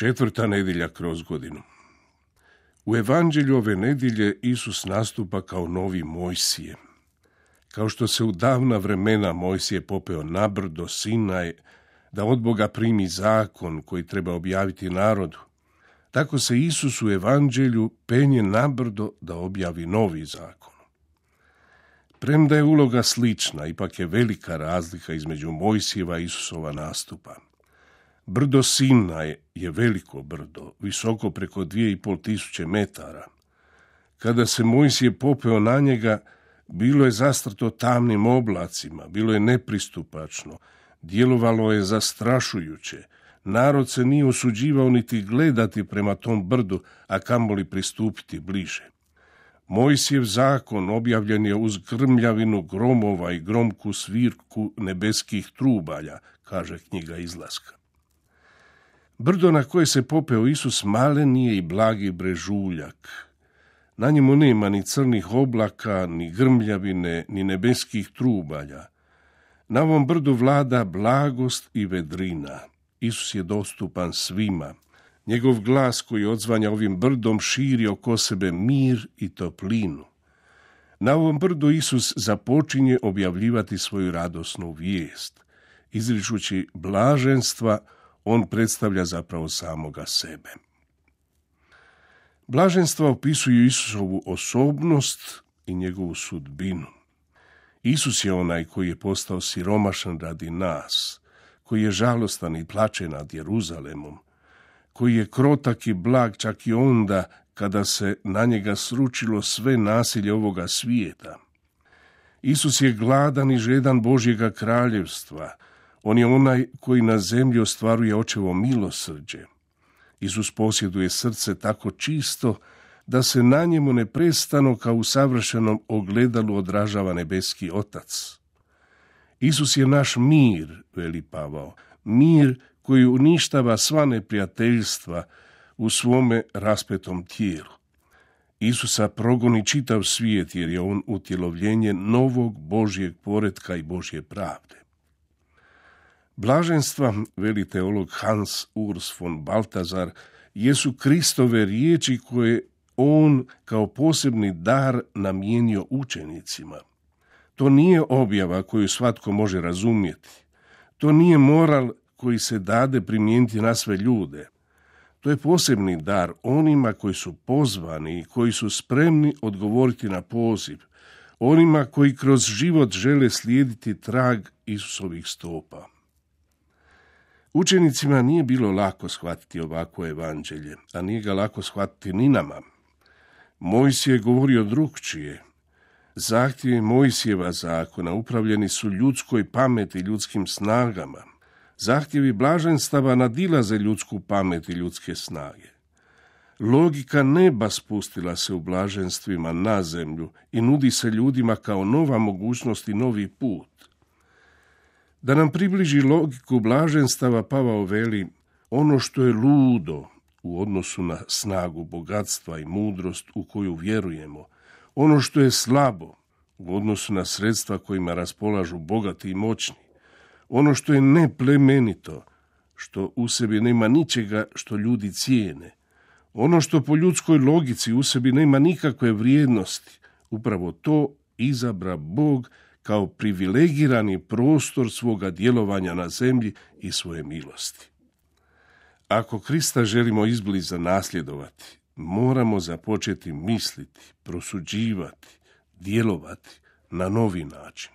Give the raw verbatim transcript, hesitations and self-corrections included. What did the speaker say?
Četvrta nedjelja kroz godinu. U evanđelju ove nedjelje Isus nastupa kao novi Mojsije. Kao što se u davna vremena Mojsije popeo na brdo Sinaj da od Boga primi zakon koji treba objaviti narodu, tako se Isus u evanđelju penje na brdo da objavi novi zakon. Premda je uloga slična, ipak je velika razlika između Mojsijeva i Isusova nastupa. Brdo Sinaj je veliko brdo, visoko preko dvije i pol tisuće metara. Kada se Mojsije popeo na njega, bilo je zastrto tamnim oblacima, bilo je nepristupačno, djelovalo je zastrašujuće. Narod se nije usuđivao niti gledati prema tom brdu, a kamoli pristupiti bliže. Mojsijev zakon objavljen je uz grmljavinu gromova i gromku svirku nebeskih trubalja, kaže knjiga Izlaska. Brdo na koje se popeo Isus malen je i blagi brežuljak. Na njemu nema ni crnih oblaka, ni grmljavine, ni nebeskih trubalja. Na ovom brdu vlada blagost i vedrina. Isus je dostupan svima. Njegov glas koji odzvanja ovim brdom širi oko sebe mir i toplinu. Na ovom brdu Isus započinje objavljivati svoju radosnu vijest. Izričući blaženstva, on predstavlja zapravo samoga sebe. Blaženstva opisuju Isusovu osobnost i njegovu sudbinu. Isus je onaj koji je postao siromašan radi nas, koji je žalostan i plače nad Jeruzalemom, koji je krotak i blag čak i onda kada se na njega sručilo sve nasilje ovoga svijeta. Isus je gladan i žedan Božjega kraljevstva. On je onaj koji na zemlji ostvaruje očevo milosrđe. Isus posjeduje srce tako čisto da se na njemu neprestano kao u savršenom ogledalu odražava nebeski Otac. Isus je naš mir, veli Pavao, mir koji uništava sva neprijateljstva u svome raspetom tijelu. Isusa progoni čitav svijet jer je on utjelovljenje novog Božjeg poretka i Božje pravde. Blaženstva, veli teolog Hans Urs von Balthasar, jesu Kristove riječi koje on kao posebni dar namijenio učenicima. To nije objava koju svatko može razumjeti. To nije moral koji se dade primijeniti na sve ljude. To je posebni dar onima koji su pozvani i koji su spremni odgovoriti na poziv, onima koji kroz život žele slijediti trag Isusovih stopa. Učenicima nije bilo lako shvatiti ovako evanđelje, a nije ga lako shvatiti ni nama. Mojsije je govorio drukčije. Zahtjevi Mojsijeva zakona upravljeni su ljudskoj pameti i ljudskim snagama. Zahtjevi blaženstava nadilaze ljudsku pamet i ljudske snage. Logika neba spustila se u blaženstvima na zemlju i nudi se ljudima kao nova mogućnost i novi put. Da nam približi logiku blaženstava, Pavao veli, ono što je ludo u odnosu na snagu bogatstva i mudrost u koju vjerujemo, ono što je slabo u odnosu na sredstva kojima raspolažu bogati i moćni, ono što je neplemenito, što u sebi nema ničega što ljudi cijene, ono što po ljudskoj logici u sebi nema nikakve vrijednosti, upravo to izabra Bog kao privilegirani prostor svoga djelovanja na zemlji i svoje milosti. Ako Krista želimo izbliza nasljedovati, moramo započeti misliti, prosuđivati, djelovati na novi način.